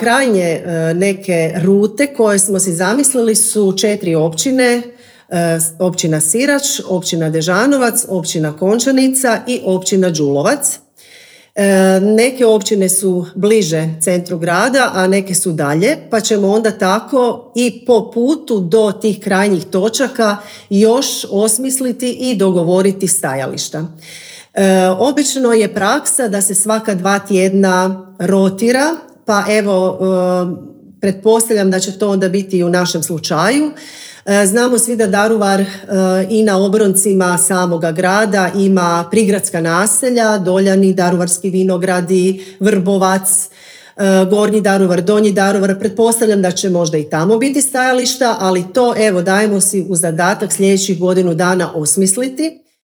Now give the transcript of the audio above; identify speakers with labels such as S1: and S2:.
S1: Krajnje neke rute koje smo si zamislili su 4 općine, općina Sirač, općina Dežanovac, općina Končanica i općina Đulovac. Neke općine su bliže centru grada, a neke su dalje, pa ćemo onda tako i po putu do tih krajnjih točaka još osmisliti i dogovoriti stajališta. Obično je praksa da se svaka 2 tjedna rotira, pa evo, pretpostavljam da će to onda biti i u našem slučaju. Znamo svi da Daruvar i na obroncima samoga grada ima prigradska naselja, Doljani, Daruvarski vinogradi, Vrbovac, Gornji Daruvar, Donji Daruvar. Pretpostavljam da će možda i tamo biti stajališta, ali to evo dajemo si u zadatak sljedećih godinu dana osmisliti.